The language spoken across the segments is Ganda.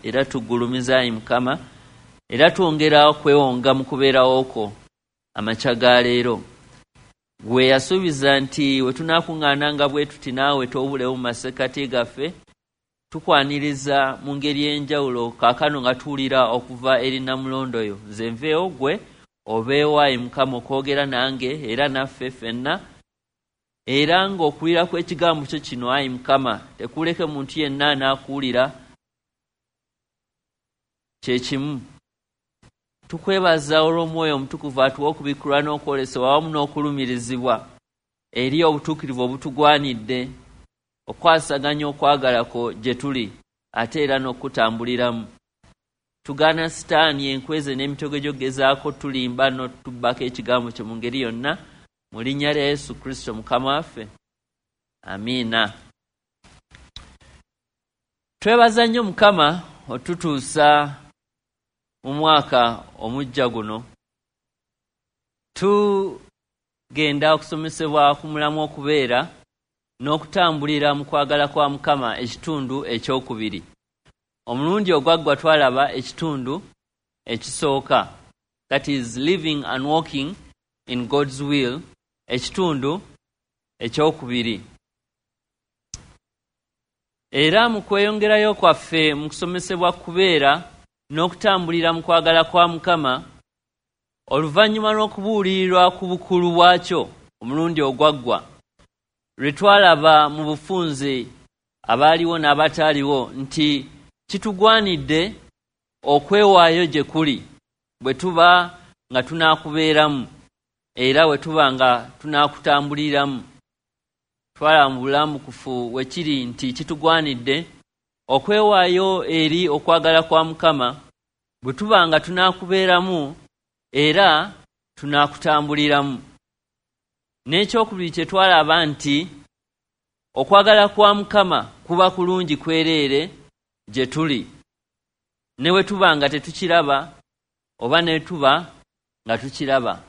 Era tugulumiza, ayi Mukama, era twongera okwewonga mu kubeerawo kwo amakya ga leero. Gwe yasuubiza nti we tunaakuŋŋaananga bwe tuti naawe toobulewo mu masekkati gaffe, tukwaniriza mu ngeri ey'enjawulo kaakano nga tuwulira okuva eri Nnamulondo yo. Nze nveewo ggwe obeewo, ayi Mukama, okwogera nange era naffe ffenna, era ng'okuwulira kw'ekigambo kyo kino, ayi Mukama, tekuleke muntu yenna anaakuwulira kye kimu. Tukwebaza olw'Omwoyo Omutukuvu atuwa okubikkulwa n'okwolesebwa awamu n'okulumirizibwa eri obutuukirivu obutugwanidde okwasaganya okwagala kwo gye tuli ate era n'okutambuliramu. Tugaana Sitaani enkweze n'emitego gy'okugezaako tulimba n'otubbako ekigambo kyo mu ngeri yonna, mu linnya lya Yesu Kristo Mukama waffe. Amiina. Twebaza nnyo Mukama otutuusa mu mwaka omujja guno. Tugenda okusomesebwa ku mulamu okubeera n'okutambulira mu kwagala kwa Mukama ekitundu ekyokubiri. Omulundi ogwaggwa twalaba ekitundu ekisooka, that is living and walking in God's will, ekitundu ekyokubiri. Era mu kweyongerayo kwaffe mu kusomesebwa kubeera n'okutambulira mu kwagala kwa Mukama, oluvannyuma lw'okubuulirirwa ku bukulu bwakyo omulundi ogwaggwa, lwe twalaba mu bufunze abaaliwo n'abataaliwo nti kitugwanidde okwewaayo gye kuli bwe tuba nga tunaakubeeramu era bwe tuba nga tunaakutambuliramu. Twalaba mu bulambukufu we kiri nti kitugwanidde okwewaayo eri okwagala kwa Mukama bwe tuba nga tunaakubeeramu era tunaakutambuliramu. N'ekyokubiri kye twalaba nti okwagala kwa Mukama kuba kulungi kwereere gye tuli, ne bwe tuba nga tetukiraba oba ne tuba nga tukiraba,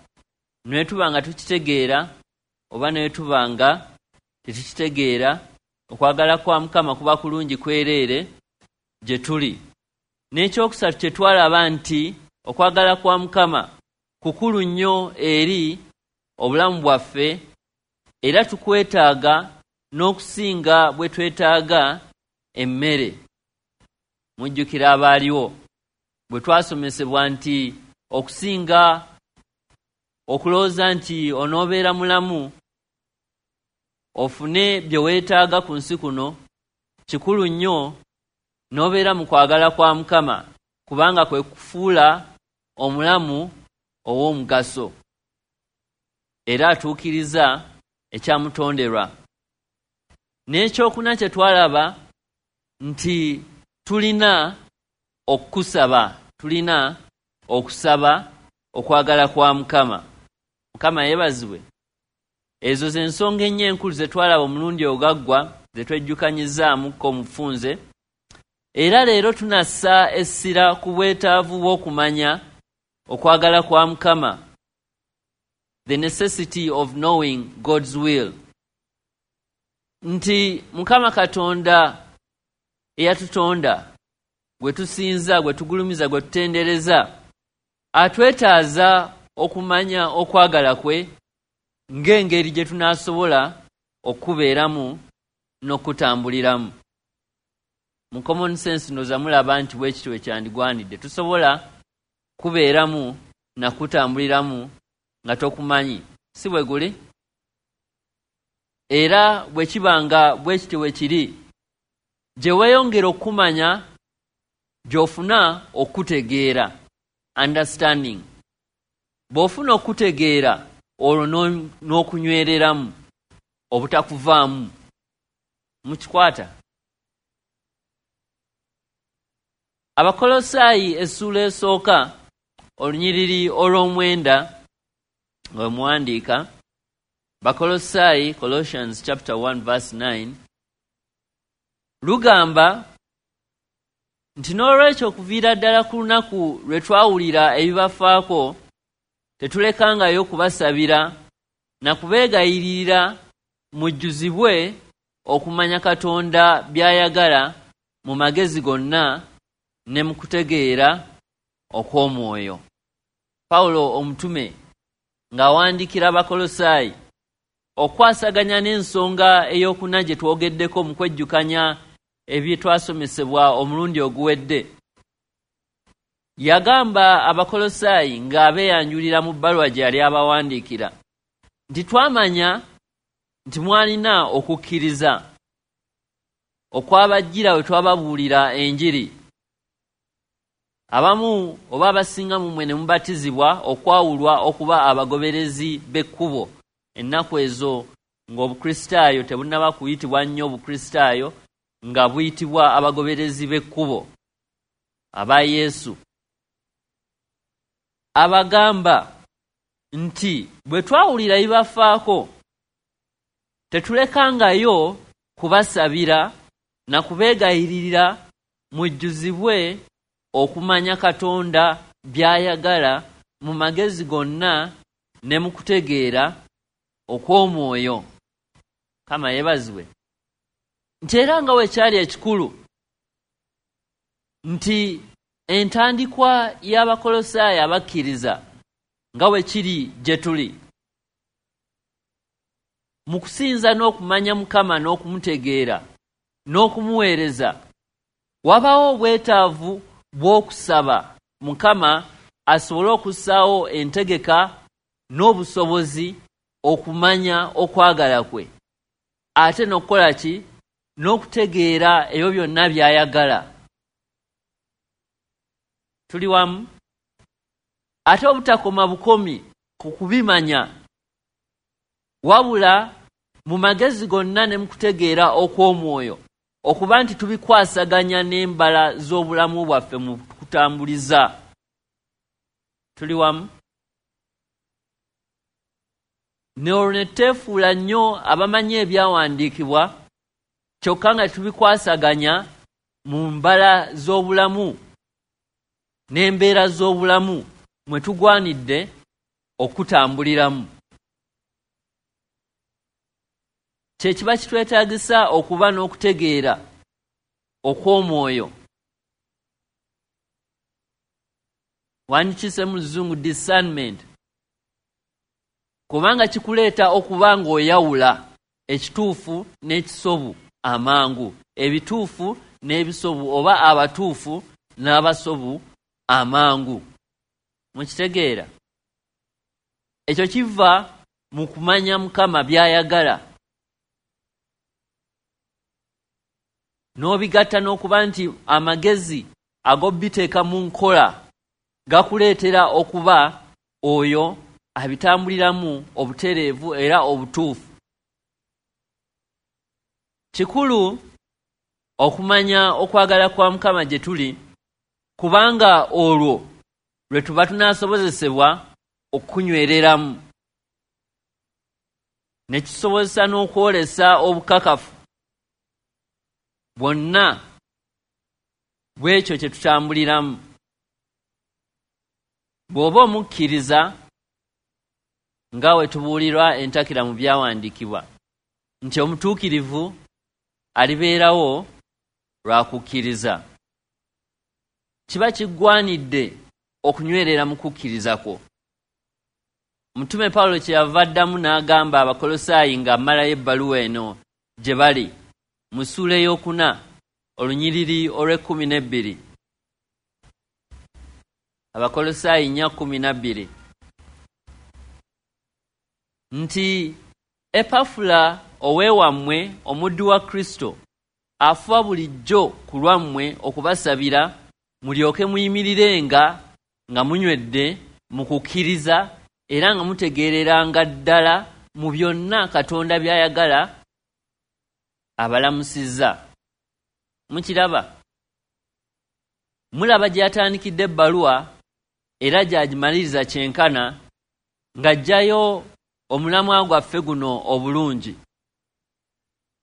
ne tuba nga tukitegeera oba ne tuba nga tetukitegeera, okwagala kwa Mukama kuba kulungi kwereere gye tuli. N'ekyokusatu kye twalaba nti okwagala kwa Mukama kukulu nnyo eri obulamu bwaffe, era tukwetaaga n'okusinga bwe twetaaga emmere. Mujjukira abaaliwo bwe twasomesebwa nti okusinga okulowooza nti onoobeera mulamu ofune bye weetaaga ku nsi kuno, kikulu nnyo n'obeera mu kwagala kwa Mukama, kubanga kwe kufuula omulamu ow'omugaso era atuukiriza ekyamutonderwa. N'ekyokuna kye twalaba nti tulina okukusaba, tulina okusaba okwagala kwa Mukama. Mukama yeebazibwe. Ezo ze nsonga ennyo enkulu ze twalaba omulundi ogaggwa ze twejjukanyizaamuko mu bufunze. Era leero tunassa essira ku bwetaavu bw'okumanya okwagala kwa Mukama, the necessity of knowing God's will. Nti Mukama Katonda eyatutonda, gwe tusinza, gwe tugulumiza, gwe tutendereza, atwetaaza okumanya okwagala kwe ng'engeri gye tunaasobola okubeeramu n'okutambuliramu. Mu common sense ndowooza mulaba nti bwe kityo bwe kyandigwanidde. Tusobola kubeeramu na kutambuliramu nga tokumanyi, si bwe guli? Era bwe kiba nga bwe kityo bwe kiri, gye weeyongera okumanya gy'ofuna okutegeera, understanding. Bw'ofuna okutegeera olwo n'okunywereramu obutakuvaamu. Mukikwata? Abakolosaayi essuula esooka olunyiriri olw'omwenda nga muwandiika, Bakolosaayi, Colossians chapter 1 verse 9, lugamba nti n'olwekyo okuviira ddala ku lunaku lwe twawulira ebibafaako tetulekangayo kubasabira na kubeegayiririra mujjuzibwe okumanya Katonda by'ayagala mu magezi gonna ne mu kutegeera okw'omwoyo. Pawulo omutume ng'awandiikira Abakolosaayi okwasaganya n'ensonga ey'okuna gye twogeddeko mu kwejjukanya ebyetwasomesebwa omulundi oguwedde, yagamba Abakolosaayi ng'abeeyanjulira mu bbaluwa gye yali abawandiikira nti twamanya nti mwalina okukkiriza okwabajjira we twababuulira enjiri. Abamu oba abasinga mu mmwe ne mubatizibwa okwawulwa okuba abagoberezi b'ekkubo. Ennaku ezo ng'Obukristaayo tebunnaba kuyitibwa nnyo Bukristaayo, nga buyitibwa abagoberezi b'ekkubo aba Yesu. Abagamba nti bwe twawulira bibafaako tetulekangayo kubasabira na kubeegayiririra mujjuzibwe okumanya Katonda by'ayagala mu magezi gonna ne mu kutegeera okw'omwoyo. Mukama yeebazibwe. Nti era nga bwe kyali ekikulu nti entandikwa y'Abakolosaayi abakkiriza nga bwe kiri gye tuli mu kusinza n'okumanya Mukama n'okumutegeera n'okumuweereza, wabaawo obwetaavu bw'okusaba Mukama asobole okussaawo entegeka n'obusobozi okumanya okwagala kwe, ate n'okukola ki? N'okutegeera ebyo byonna by'ayagala. Tuli wamu? Ate obutakoma bukomi ku kubimanya, wabula mu magezi gonna ne mu kutegeera okw'omwoyo, okuba nti tubikwasaganya n'embala z'obulamu bwaffe mu kutambuliza. Tuli wamu? Ne olwo ne tuteefuula nnyo abamanyi ebyawandiikibwa, kyokka nga tubikwasaganya mu mbala z'obulamu n'embeera z'obulamu mwe tugwanidde okutambuliramu. Kye kiba kitwetaagisa okuba n'okutegeera okw'omwoyo. Wandikise mu Luzungu discernment, kubanga kikuleeta okuba ng'oyawula ekituufu n'ekisobu amangu, ebituufu n'ebisobu, oba abatuufu n'abasobu amangu. Mukitegeera? Ekyo kiva mu kumanya Mukama by'ayagala, n'obigatta n'okuba nti amagezi ag'obiteeka mu nkola gakuleetera okuba oyo abitambuliramu obutereevu era obutuufu. Kikulu okumanya okwagala kwa Mukama gye tuli, kubanga olwo lwe tuba tunaasobozesebwa okunywereramu, ne kisobozesa n'okwolesa obukakafu bwonna bw'ekyo kye tutambuliramu. Bw'oba omukkiriza nga we tubuulirwa entakera mu byawandiikibwa nti omutuukirivu alibeerawo lwa kukkiriza, kiba kiggwanidde okunywerera mu kukkiriza kwo. Omutume Pawulo kye yava addamu n'agamba Abakolosaayi ng'amalayo ebbaluwa eno gye bali mu ssuula ey'okuna olunyiriri olw'ekkumi n'ebbiri. Abakolosaayi 4:12 nti Epafula ow'ewammwe, omuddu wa Kristo, afuba bulijjo ku lwammwe okubasabira, mulyoke muyimirirenga nga munywedde mu kukkiriza, era nga mutegeereranga ddala mu byonna Katonda by'ayagala. Abalamusizza. Mukiraba? Mulaba gye yatandikidde ebbaluwa era gy'agimaliriza kyenkana ng'aggyayo omulamwa gwaffe guno obulungi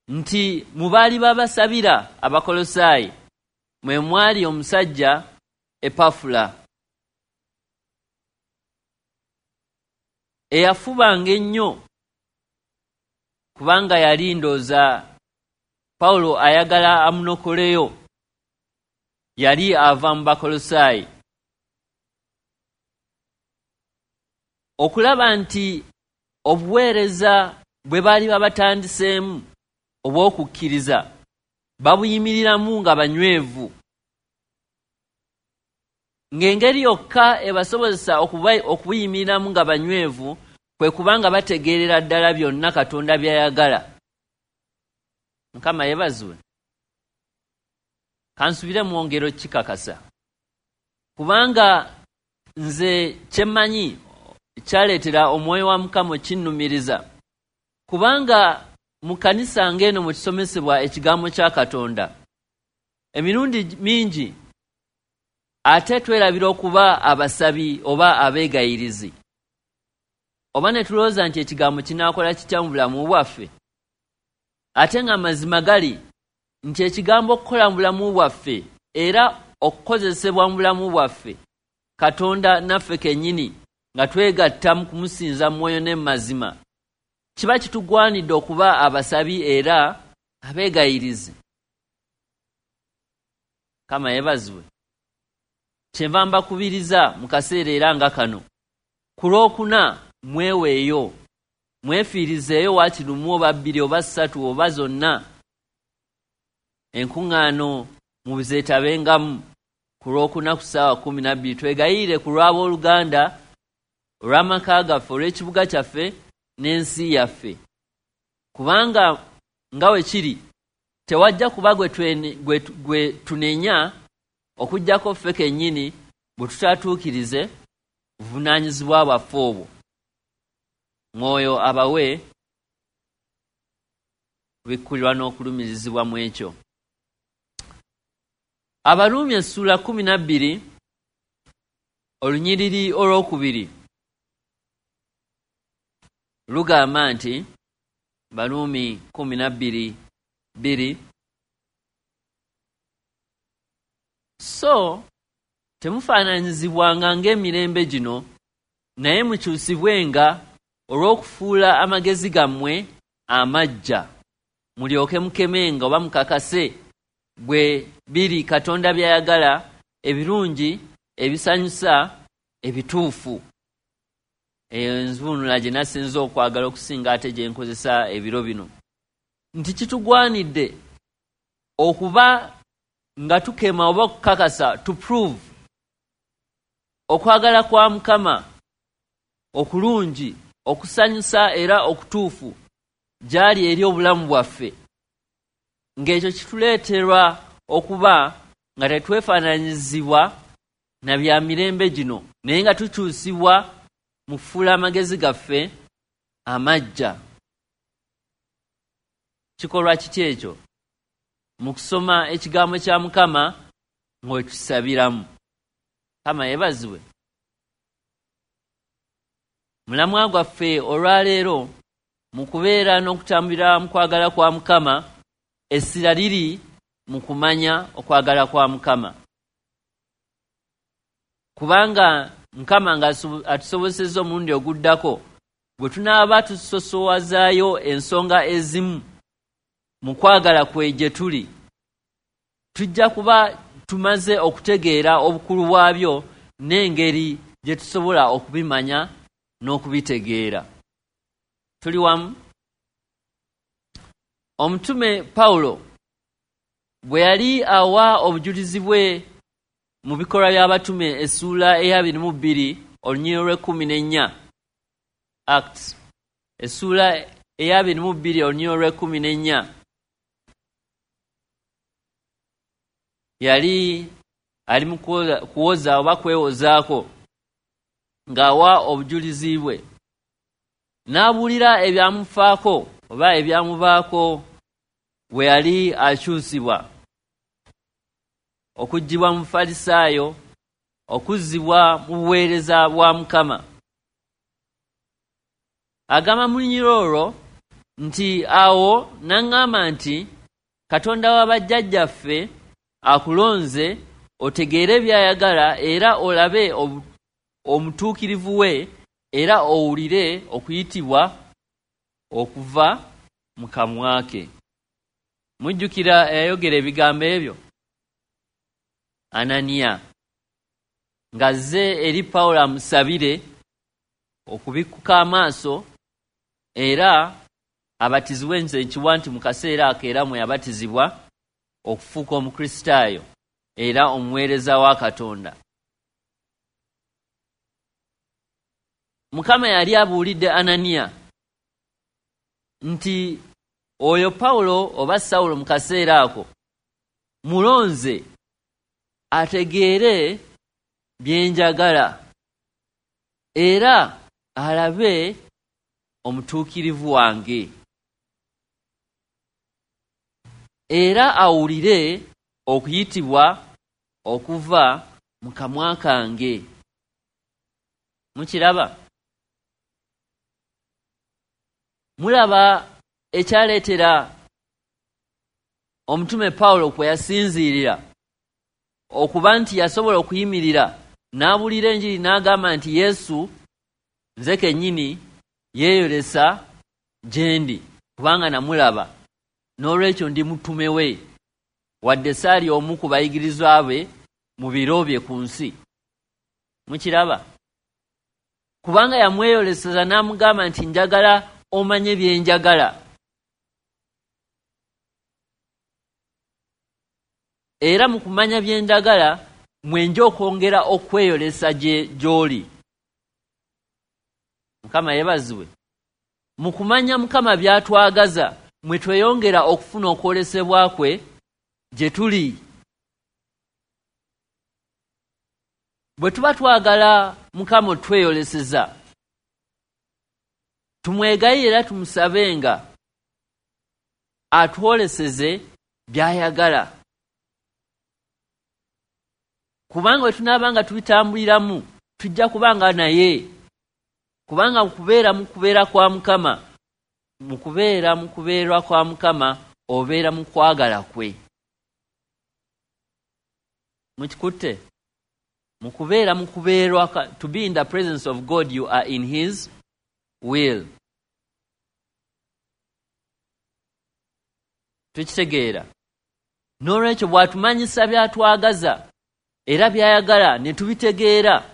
nti mu baali babasabira Abakolosaayi mwe mwali omusajja Epafula, eyafubanga ennyo, kubanga yali ndooza Pawulo ayagala amunokoleyo. Yali ava mu Bakolosaayi. Okulaba nti obuweereza bwe baali babatandiseemu obw'okukkiriza babuyimiriramu nga banywevu, ng'engeri yokka ebasobozesa okubuyimiriramu nga banywevu kwe kubanga bategeerera ddala byonna Katonda by'ayagala. Mukama yeebazibwe. Kansubire mwongero kikakasa, kubanga nze kyemmanyi kyaleetera omwoyo wa Mukama okinnumiriza, kubanga mu kkanisa ng'eno mwe tusomesebwa ekigambo kya Katonda emirundi mingi ate twerabira okuba abasabi oba abeegayirizi, oba ne tulowooza nti ekigambo kinaakola kitya mu bulamu bwaffe, ate nga amazima gali nti ekigambo okukola mu bulamu bwaffe era okukozesebwa mu bulamu bwaffe Katonda naffe kennyini nga twegatta mu kumusinza mu mwoyo ne mu mazima, kiba kitugwanidde okuba abasabi era abeegayirizi. Mukama yeebazibwe. Kyenva mbakubiriza mu kaseera era nga kano, ku Lwokuna mweweeyo, mwefiirizeeyo waakiri lumu oba bbiri oba ssatu oba zonna, enkuŋŋaano muzeetabengamu ku Lwokuna ku ssaawa 12, twegayirire ku lw'abooluganda, olw'amaka gaffe, olw'ekibuga kyaffe n'ensi yaffe. Kubanga nga we kiri, tewajja kuba gwe tunenya okuggyako ffe kennyini bwe tutatuukirize buvunaanyizibwa bwaffe obwo. Mwoyo abawe kubikkulirwa n'okulumirizibwa mu ekyo. Abaruumi essuula 12 olunyiriri olwokubiri lugamba nti, Baruumi 12:2, so temufaananyizibwanga ng'emirembe gino, naye mukyusibwenga olw'okufuula amagezi gammwe amaggya, mulyoke mukemenga oba mukakase bwe biri Katonda by'ayagala, ebirungi, ebisanyusa, ebituufu. Eyo envuunula gye nasinze okwagala okusinga ate gye nkozesa ebiro bino, nti kitugwanidde okuba nga tukema oba okukakasa, to prove, okwagala kwa Mukama okulungi, okusanyusa era okutuufu gy'ali eri obulamu bwaffe, ng'ekyo kituleeterwa okuba nga tetwefaananyizibwa na bya mirembe gino, naye nga tukyusibwa mu kufuula amagezi gaffe amaggya. Kikolwa kiki ekyo? Mu kusoma ekigambo kya Mukama ng'okisabiramu. Mukama yeebazibwe. Mulamwa gwaffe olwaleero mu kubeera n'okutambulira mu kwagala kwa Mukama, essira liri mu kumanya okwagala kwa Mukama. Kubanga Mukama nga atusobosezza omulundi oguddako, bwe tunaaba tusosowazaayo ensonga ezimu mu kwagala kwe gye tuli, tujja kuba tumaze okutegeera obukulu bwabyo n'engeri gye tusobola okubimanya n'okubitegeera. Tuli wamu? Omutume Pawulo bwe yali awa obujulizi bwe mu Bikolwa by'Abatume essuula ey'abiri mu bbiri olunyiriri lw'ekkumi n'ennya, Acts essuula ey'abiri mu bbiri olunyiriri lw'ekkumi n'ennya, yali ali mu kuwoza oba kwewozaako ng'awa obujulizi bwe, n'abuulira ebyamufaako oba ebyamubaako bwe yali akyusibwa okuggyibwa mu Bufalisaayo okuzzibwa mu buweereza bwa Mukama. Agamba mu lunyiriri olwo nti, Awo n'aŋŋamba nti, Katonda wa bajjajjaffe akulonze otegeere by'ayagala era olabe omutuukirivu we era owulire okuyitibwa okuva mu kamwa ke. Mujjukira eyayogera ebigambo ebyo? Ananiya, ng'azze eri Pawulo amusabire okubikkuka amaaso era abatizibwe. Nze nkiwa nti mu kaseera ako era mwe yabatizibwa okufuuka Omukristaayo era omuweereza wa Katonda. Mukama yali abuulidde Ananiya nti oyo Pawulo oba Sawulo mu kaseera ako mulonze ategeere bye njagala era alabe omutuukirivu wange era awulire okuyitibwa okuva mu kamwa kange. Mukiraba? Mulaba ekyaleetera omutume Pawulo kwe yasinziirira okuba nti yasobola okuyimirira n'abuulira enjiri n'agamba nti Yesu nze kennyini yeeyolesa gye ndi kubanga namulaba, n'olwekyo ndi mutume we, wadde saali omu ku bayigirizwa be mu biro bye ku nsi. Mukiraba? Kubanga yamweyoleseza n'amugamba nti njagala omanye bye njagala. Era mu kumanya bye njagala mwenja okwongera okweyolesa gy'oli. Mukama yeebazibwe. Mu kumanya Mukama by'atwagaza mwe tweyongera okufuna okwolesebwa kwe gye tuli. Bwe tuba twagala Mukama otweyoleseza, tumwegayirire era tumusabenga atwoleseze by'ayagala. Kubanga bwe tunaaba nga tubitambuliramu tujja kubanga naye. Kubanga kubeera mu kubeera kwa Mukama, mu kubeera mu kubeerwa kwa Mukama obeera mu kwagala kwe. Mukikutte? Mu kubeera mu kubeerwa, to be in the presence of God, you are in his will. Tukitegeera? N'olwekyo bw'atumanyisa by'atwagaza era by'ayagala ne tubitegeera,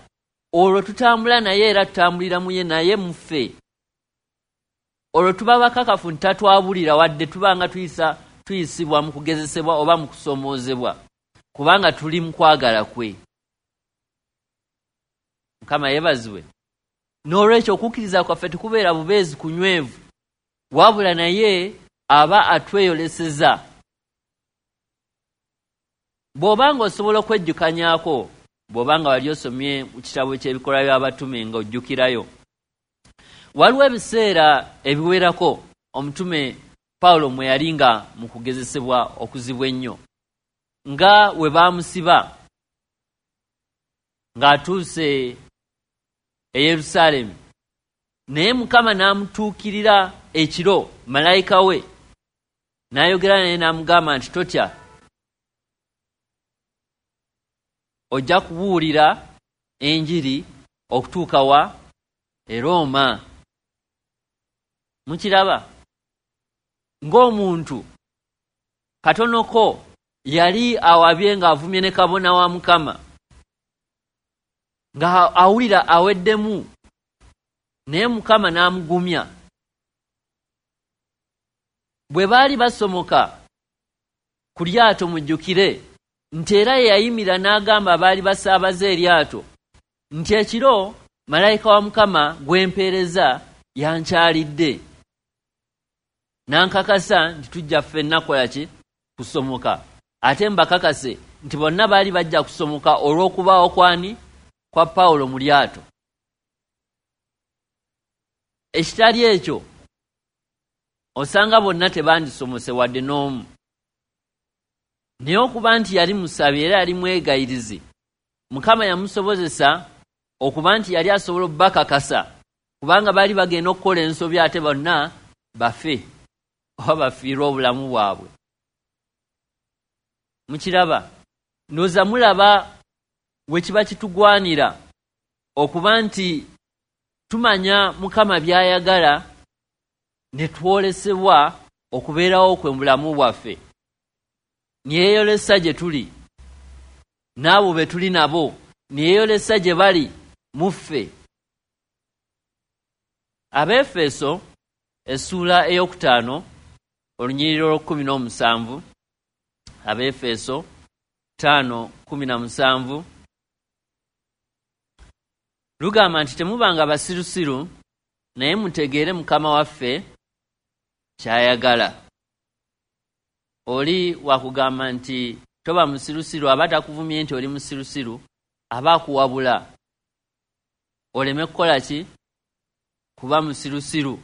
olwo tutambula naye era tutambulira mu ye naye muffe. Olwo tuba bakakafu nti tatwabulira wadde tuba nga tuyisibwa mu kugezesebwa oba mu kusomoozebwa, kubanga tuli mu kwagala kwe. Mukama yeebazibwe. N'olwekyo okukkiriza kwaffe tekubeera bubeezi kunywevu, wabula naye aba atweyoleseza. Bw'obanga osobola okwejjukanyaako, bw'obanga wali osomye mu kitabo ky'ebikolwa by'abatume ng'ojjukirayo, waliwo ebiseera ebiwerako omutume Pawulo mwe yali nga mu kugezesebwa okuzibu ennyo, nga we baamusiba ng'atuuse e Yerusaalemi, naye Mukama n'amutuukirira ekiro malayika we n'ayogera naye n'amugamba nti totya, ojja kubuulira enjiri okutuuka wa e Rooma. Mukiraba? Ng'omuntu katonoko yali awabye ng'avumye ne kabona wa Mukama, nga awulira aweddemu, naye Mukama n'amugumya. Bwe baali basomoka ku lyato, mujjukire nti era ye yayimirira n'agamba abaali basaabaze eryato nti ekiro malayika wa Mukama gw'empeereza yankyalidde n'ankakasa nti tujja ffenna kukola ki? Kusomoka. Ate mbakakase nti bonna baali bajja kusomoka olw'okubaawo kwani? Kwa Pawulo mu lyato. Ekitali ekyo osanga bonna tebandisomose wadde n'omu. Naye okuba nti yali musabi era yali mwegayirizi, Mukama yamusobozesa okuba nti yali asobola obbakakasa, kubanga baali bagenda okukola ensobi ate bonna bafe oba bafiirwe obulamu bwabwe. Mukiraba? Ndowooza mulaba we kiba kitugwanira okuba nti tumanya Mukama by'ayagala ne twolesebwa okubeerawo kwe mu bulamu bwaffe. Nyeeyolesa gye tuli. n'abo be tuli nabo, ne yeeyolesa gye bali mu ffe. Abeefeso essuula 5 olunyiriri olw'okumu Abeefeso 5:17 lugamba nti temubanga basirusiru, naye mutegeere Mukama waffe ky'ayagala. Oli wakugamba nti toba musirusiru, aba takuvumye nti oli musirusiru, aba akuwabula oleme kukola ki? Kuba musirusiru.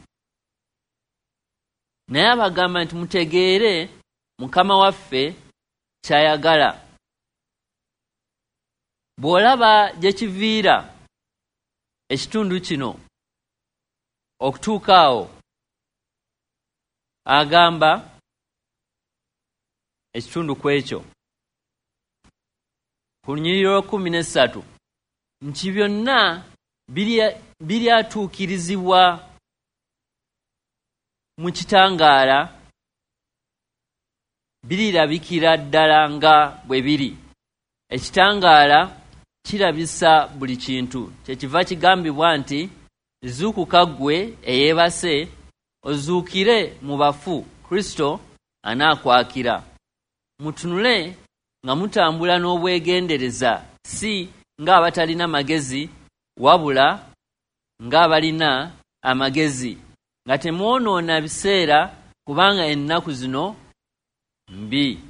Naye abagamba nti mutegeere Mukama waffe ky'ayagala. Bw'olaba gye kiviira ekitundu kino okutuuka awo, agamba ekitundu ku ekyo ku lunyiriri olw'okumu nti byonna biryatuukirizibwa mu kitangaala, birirabikira ddala nga bwe biri. Ekitangaala kirabisa buli kintu. Kyekiva kigambibwa nti zuukuka ggwe eyeebase, ozuukire mu bafu, Kristo anaakwakira. Mutunule nga mutambula n'obwegendereza, si ng'abatalina magezi, wabula ng'abalina amagezi, nga temwonoona biseera, kubanga ennaku zino mbi.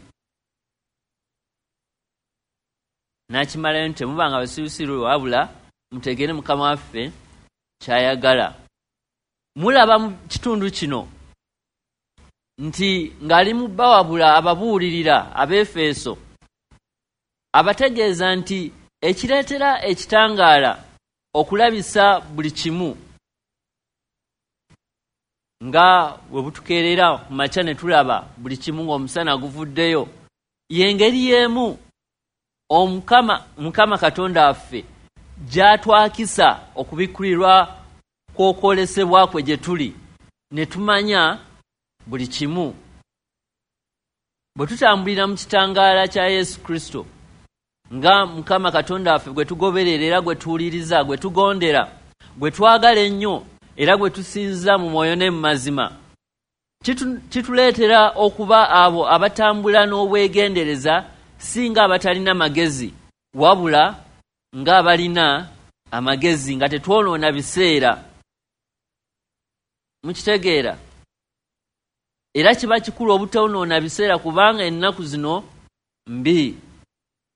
N'akimalayo nti temubanga basirusiru, wabula mutegeere Mukama waffe ky'ayagala. Mulaba mu kitundu kino nti ng'ali mu bawabula ababuulirira Abeefeso, abategeeza nti ekireetera ekitangaala okulabisa buli kimu, nga bwe butukeerera ku makya ne tulaba buli kimu ng'omusana guvuddeyo, y'engeri y'emu Mukama Katonda waffe gy'atwakisa okubikkulirwa kw'okwolesebwa kwe gye tuli, ne tumanya buli kimu. Bwe tutambulira mu kitangaala kya Yesu Kristo, nga Mukama Katonda waffe gwe tugoberera era gwe tuwuliriza, gwe tugondera, gwe twagala ennyo era gwe tusinza mu mwoyo ne mu mazima, kituleetera okuba abo abatambula n'obwegendereza, si ng'abatalina magezi, wabula ng'abalina amagezi, nga tetwonoona biseera. Mukitegeera? Era kiba kikulu obutonoona biseera, kubanga ennaku zino mbi.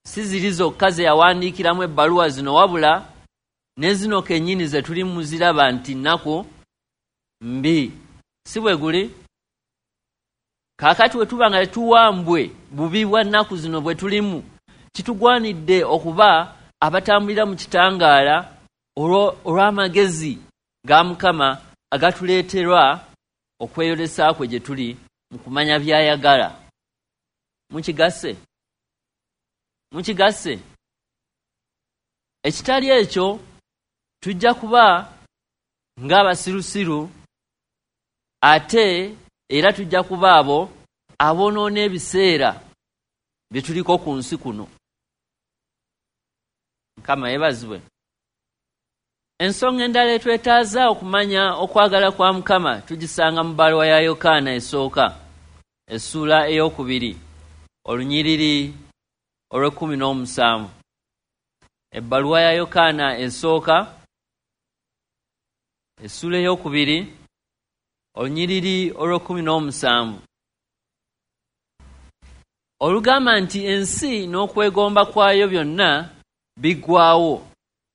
Si ziri zokka ze yawandiikiramu ebbaluwa zino, wabula ne zino kennyini ze tuli muziraba nti nnaku mbi. Si bwe guli? Kaakati bwe tuba nga tetuwambwe bubi bwa nnaku zino bwe tulimu, kitugwanidde okuba abatambulira mu kitangaala olw'amagezi ga Mukama agatuleeterwa okweyolesa kwe gye tuli mu kumanya by'ayagala. Mukigasse? Mukigasse? Ekitali ekyo tujja kuba ng'abasirusiru, ate era tujja kuba abo aboonoona ebiseera bye tuliko ku nsi kuno. Mukama yeebazibwe. Ensonga endala etwetaaza okumanya okwagala kwa Mukama tugisanga mu bbaluwa ya Yokaana esooka essuula 2 olunyiriri olw'okumu. Ebbaluwa ya Yokaana esooka essuula 2 olunyiriri olw'okumu olugamba nti ensi n'okwegomba kwayo byonna biggwaawo,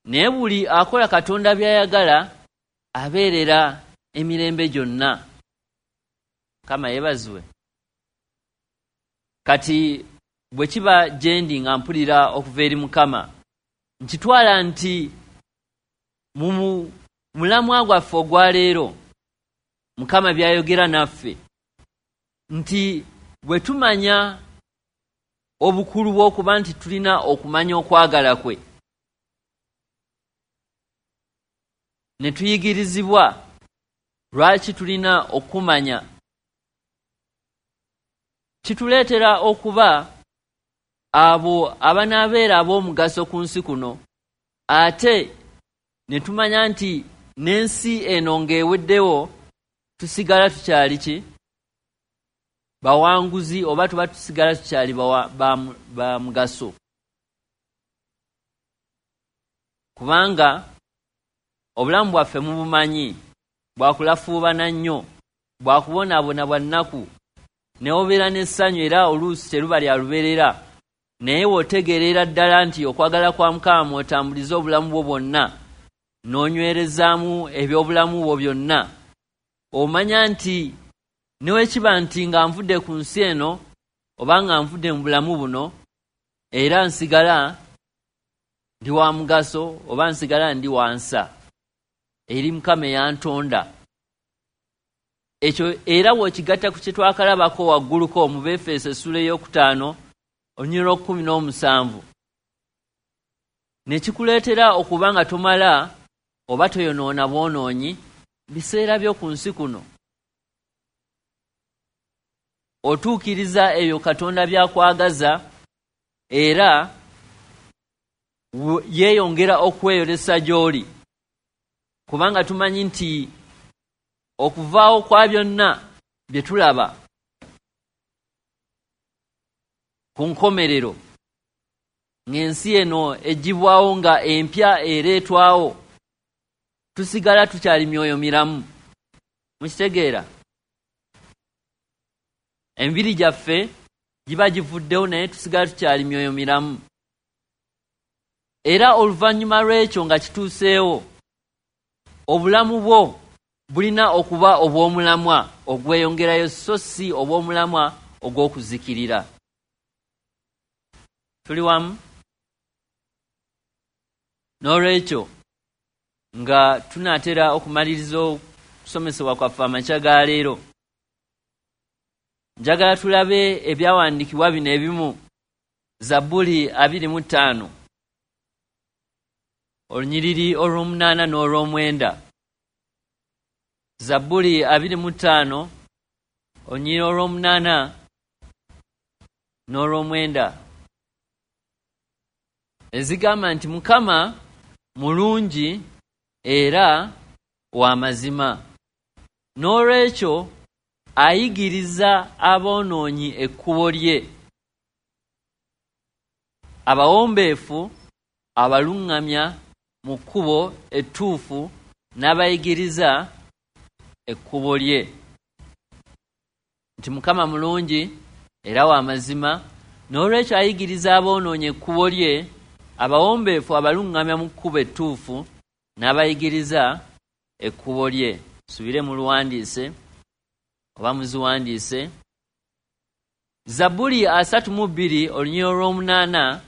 naye buli akola Katonda by'ayagala abeerera emirembe gyonna. Mukama yeebazibwe. Kati bwe kiba gye ndi nga mpulira okuva eri Mukama, nkitwala nti mu mulamwa gwaffe ogwa leero Mukama by'ayogera naffe, nti bwe tumanya obukulu bw'okuba nti tulina okumanya okwagala kwe, ne tuyigirizibwa lwaki tulina okumanya, kituleetera okuba Abo abanaabeera ab'omugaso ku nsi kuno, ate ne tumanya nti n'ensi eno ng'eweddewo tusigala tukyali ki? Bawanguzi, oba tuba tusigala tukyali ba mugaso. Kubanga obulamu bwaffe mubumanyi, bwakulafuubana nnyo, bwakubonaabona bwa nnaku, ne obeera n'essanyu era oluusi teruba lya lubeerera. Naye w'otegeerera ddala nti okwagala kwa Mukama mw'otambuliza obulamu bwo bwonna, n'onywerezaamu ebyobulamu bwo byonna, omanya nti ne bwe kiba nti nga nvudde ku nsi eno oba nga nvudde mu bulamu buno, era nsigala ndi wa mugaso oba nsigala ndi wansa eri Mukama eyantonda. Ekyo era bw'okigatta ku kye twakalabako wagguluko mu Befeso essula ey'okutaano olunyiriri lw'okkumi n'omusanvu, ne kikuleetera okuba nga tomala oba toyonoona bwonoonyi biseera byo ku nsi kuno. Otuukiriza ebyo Katonda by'akwagaza, era yeeyongera okweyolesa gy'oli, kubanga tumanyi nti okuvaawo kwa byonna bye tulaba ku nkomerero, ng'ensi eno eggyibwawo nga empya ereetwawo, tusigala tukyali myoyo miramu. Mukitegeera? Emibiri gyaffe giba givuddewo, naye tusigala tukyali myoyo miramu. Era oluvannyuma lw'ekyo nga kituuseewo, obulamu bwo bulina okuba obw'omulamwa ogweyongerayo, so si obw'omulamwa ogw'okuzikirira. Tuli wamu? N'olwekyo nga tunaatera okumaliriza okusomesebwa kwaffe amakya ga leero, njagala tulabe ebyawandiikibwa bino ebimu. Zabbuli 25 olunyiriri olw'omunaana n'olw'omwenda. Zabbuli 25 olunyiriri olw'omunaana n'olw'omwenda, ezigamba nti Mukama mulungi era wa mazima, n'olwekyo ayigiriza aboonoonyi ekkubo lye, abawombeefu abaluŋŋamya mu kkubo ettuufu n'abayigiriza ekkubo lye. Nti Mukama mulungi era wa mazima, n'olwekyo ayigiriza aboonoonyi ekkubo lye, abawombeefu abaluŋŋamya mu kkubo ettuufu n'abayigiriza ekkubo lye. Subire muluwandiise oba muziwandiise. Zabbuli 32 olunyiriri olw'omunaana,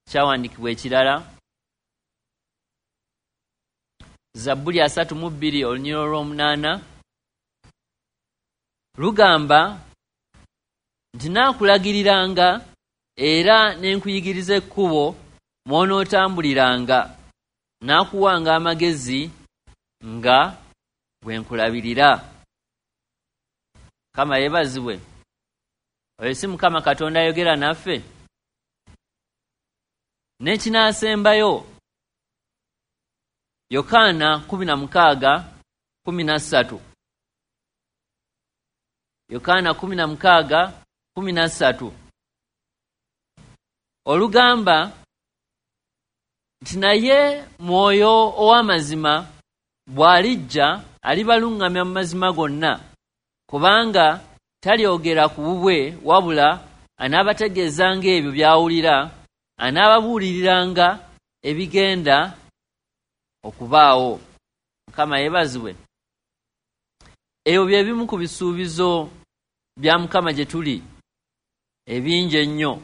kyawandiikibwa ekirala. Zabbuli 32 olunyiriri olw'omunaana lugamba nti naakulagiriranga era ne nkuyigiriza ekkubo mw'onootambuliranga, naakuwanga amagezi nga bwe nkulabirira. Mukama yeebazibwe. Oyo si Mukama Katonda ayogera naffe? N'ekinaasembayo, Yokaana 16:13. Yokaana 16:13 olugamba nti naye Mwoyo ow'amazima bw'alijja alibaluŋŋamya mu mazima gonna, kubanga talyogera ku bubwe, wabula anaabategeezanga ebyo by'awulira, anaababuuliriranga ebigenda okubaawo. Mukama yeebazibwe. Ebyo bye bimu ku bisuubizo bya Mukama gye tuli ebingi ennyo,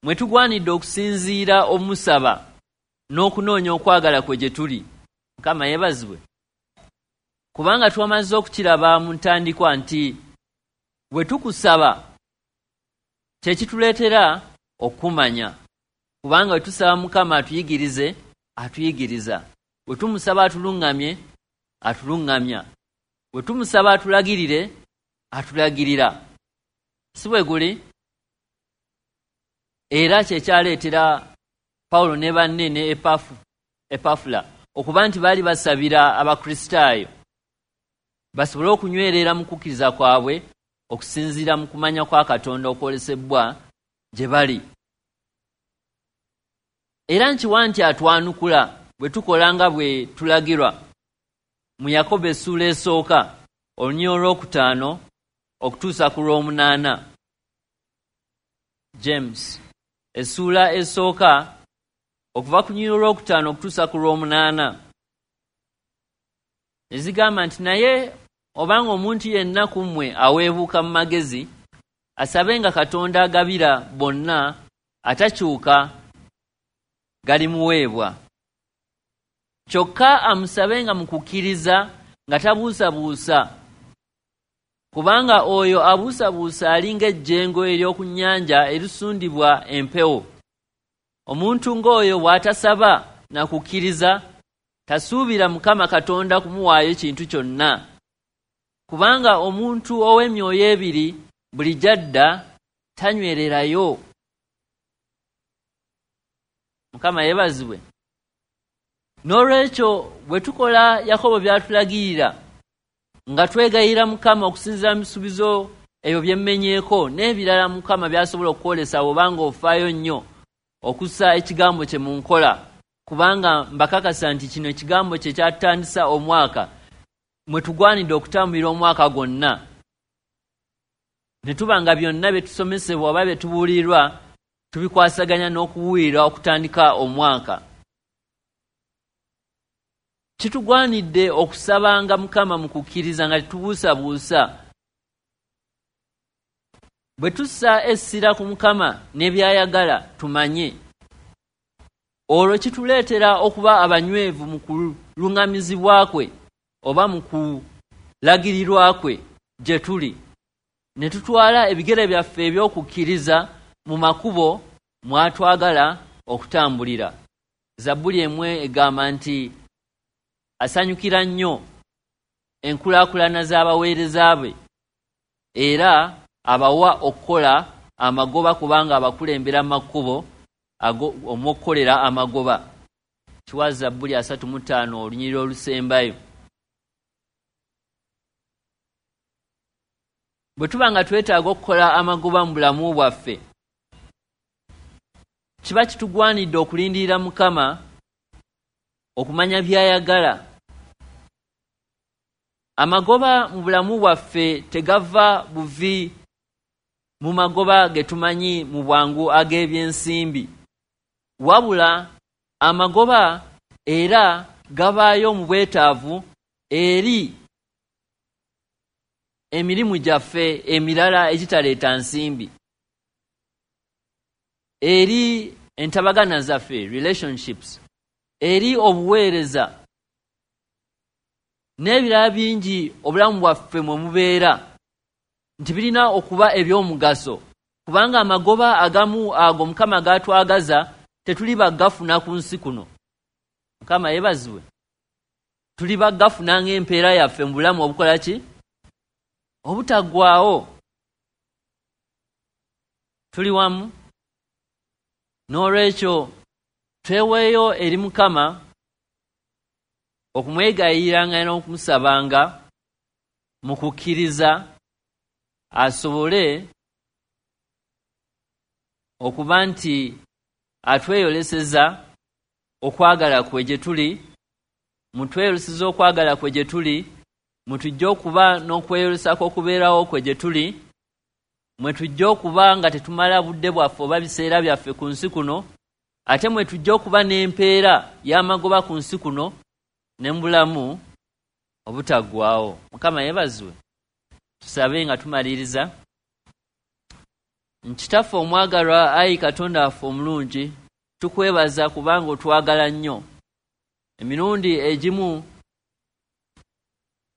mwe tugwanidde okusinziira omusaba n'okunoonya okwagala kwe gye tuli. Mukama yeebazibwe. Kubanga twamaze okukiraba mu ntandikwa nti bwe tukusaba kye kituleetera okumanya, kubanga bwe tusaba Mukama atuyigirize, atuyigiriza. Bwe tumusaba atuluŋŋamye, atuluŋŋamya. Bwe tumusaba atulagirire, atulagirira. Si bwe guli? Era kyekyaleetera Pawulo ne banne ne Epafula okuba nti baali basabira Abakristaayo basobole okunywerera mu kukkiriza kwabwe okusinziira mu kumanya kwa Katonda okwolesebwa gye bali. Era nkiwa nti atwanukula bwe tukola nga bwe tulagirwa mu Yakobo essuula esooka olunyiriri olwokutaano okutuusa ku lw'omunaana. James essuula esooka okuva ku lunyiriri olwokutaano okutuusa ku lw'omunaana ezigamba nti, naye obanga omuntu yenna ku mmwe aweebuuka mu magezi, asabenga Katonda agabira bonna atakyuka, galimuweebwa. Kyokka amusabenga mu kukkiriza nga tabuusabuusa, kubanga oyo abuusabuusa alinga ejjengo ery'oku nnyanja erisundibwa empewo. Omuntu ng'oyo bw'atasaba na kukkiriza, tasuubira Mukama Katonda kumuwaayo kintu kyonna. Kubanga omuntu ow'emyoyo ebiri buli gy'adda tanywererayo. Mukama yeebazibwe. N'olwekyo bwe tukola Yakobo by'atulagirira nga twegayirira Mukama okusinziira mu bisuubizo ebyo bye mmenyeeko n'ebirala Mukama by'asobola okukwolesa bw'oba ng'ofaayo nnyo okussa ekigambo kye mu nkola, kubanga mbakakasa nti kino ekigambo kye kyatutandisa omwaka mwe tugwanidde okutambulira omwaka gwonna, ne tuba nga byonna bye tusomesebwa oba bye tubuulirwa tubikwasaganya n'okubuulira okutandika omwaka. Kitugwanidde okusabanga Mukama mu kukkiriza nga tetubuusabuusa. Bwe tussa essira ku Mukama ne by'ayagala tumanye, olwo kituleetera okuba abanywevu mu kuluŋŋamizibwa kwe oba mu kulagirirwa kwe gye tuli, ne tutwala ebigere byaffe eby'okukkiriza mu makubo mw'atwagala okutambulira. Zabbuli emu egamba nti asanyukira nnyo enkulaakulana z'abaweereza be era abawa okukola amagoba, kubanga abakulembera mu makubo omw'okukolera amagoba. Kiwa Zabbuli 35 olunyiriri olusembayo. Bwe tuba nga twetaaga okukola amagoba mu bulamu bwaffe, kiba kitugwanidde okulindirira Mukama okumanya by'ayagala. Amagoba mu bulamu bwaffe tegava buvi mu magoba ge tumanyi mu bwangu ag'ebyensimbi, wabula amagoba era gabaayo mu bwetaavu eri emirimu gyaffe emirala egitaleeta nsimbi, eri entabagana zaffe, relationships, eri obuweereza n'ebirala bingi obulamu bwaffe mwe mubeera, nti birina okuba eby'omugaso, kubanga amagoba agamu ago Mukama g'atwagaza tetuli bagafuna ku nsi kuno. Mukama yeebazibwe. Tuli bagafuna ng'empeera yaffe mu bulamu obukola ki? Obutaggwaawo. Tuli wamu. N'olwekyo tweweeyo eri Mukama okumwegayiriranga n'okumusabanga mu kukkiriza, asobole okuba nti atweyoleseza okwagala kwe gye tuli, mutweyoleseza okwagala kwe gye tuli, mwe tujja okuba n'okweyolesa kw'okubeerawo kwe gye tuli, mwe tujja okuba nga tetumala budde bwaffe oba biseera byaffe ku nsi kuno, ate mwe tujja okuba n'empeera y'amagoba ku nsi kuno ne mu bulamu obutaggwaawo. Mukama yeebazibwe. Tusabe nga tumaliriza. Nkitaffe omwagalwa, ayi Katonda waffe omulungi, tukwebaza kubanga otwagala nnyo. Emirundi egimu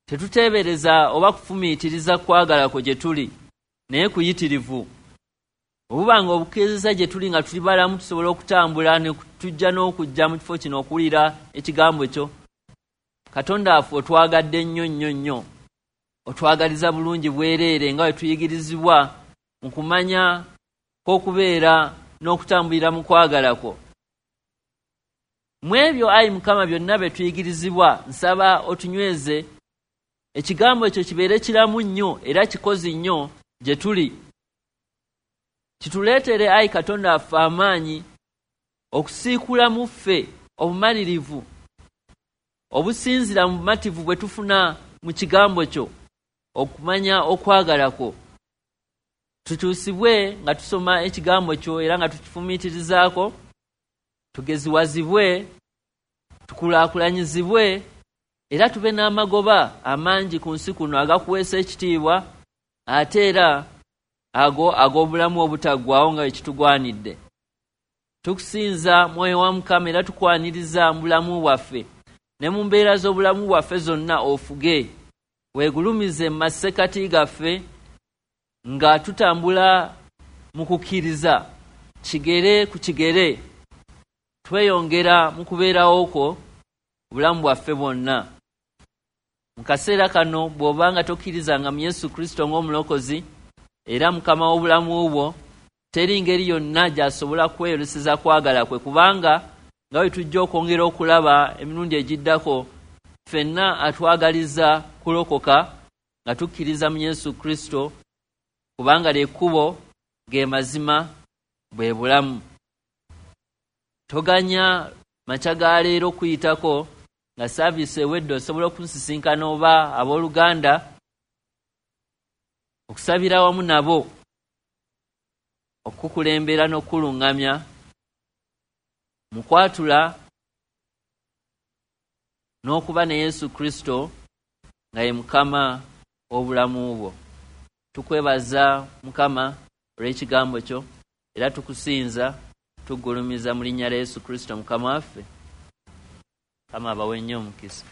tetuteebereza oba kufumiitiriza kwagala kwo gye tuli, naye kuyitirivu. Obuba nga obukkiriza gye tuli nga tuli balamu, tusobola okutambula ne tujja n'okujja mu kifo kino okuwulira ekigambo kyo. Katonda waffe, otwagadde nnyo nnyo nnyo, otwagaliza bulungi bwereere nga bwe tuyigirizibwa mu kumanya kw'okubeera n'okutambulira mu kwagala kwo. Mu ebyo, ayi Mukama, byonna bye tuyigirizibwa, nsaba otunyweze, ekigambo ekyo kibeere kiramu nnyo era kikozi nnyo gye tuli. Kituleetere, ayi Katonda waffe, amaanyi okusiikula mu ffe obumalirivu obusinzira mu bumativu bwe tufuna mu kigambo kyo, okumanya okwagala kwo. Tukyusibwe nga tusoma ekigambo kyo era nga tukifumiitirizaako, tugeziwazibwe, tukulaakulanyizibwe, era tube n'amagoba amangi ku nsi kuno agakuweesa ekitiibwa, ate era ago ag'obulamu obutaggwaawo nga ekitugwanidde. Tukusinza, Mwoyo wa Mukama, era tukwaniriza mu bulamu bwaffe ne mu mbeera z'obulamu bwaffe zonna. Ofuge, weegulumize mu masekati gaffe nga tutambula mu kukkiriza kigere ku kigere, tweyongera mu kubeerawo kwo obulamu bwaffe bwonna. Mu kaseera kano, bw'oba nga tokkirizanga mu Yesu Kristo ng'omulokozi era Mukama w'obulamu bwo, teri ngeri yonna gy'asobola kweyoleseza kwagala kwe, kubanga nga bwe tujja okwongera okulaba emirundi egiddako, ffenna atwagaliza kulokoka nga tukkiriza mu Yesu Kristo, kubanga lyekkubo, ge mazima, bwe bulamu. Toganya makya ga leero kuyitako nga saaviisi ewedde. Osobola okunsisinkana oba abooluganda okusabira wamu nabo, okukulembera n'okukuluŋŋamya mu kwatula n'okuba ne Yesu Kristo nga ye Mukama w'obulamu bwo. Tukwebaza, Mukama, olw'ekigambo kyo, era tukusinza, tugulumiza mu linnya lya Yesu Kristo Mukama waffe. Mukama abawe nnyo omukisa.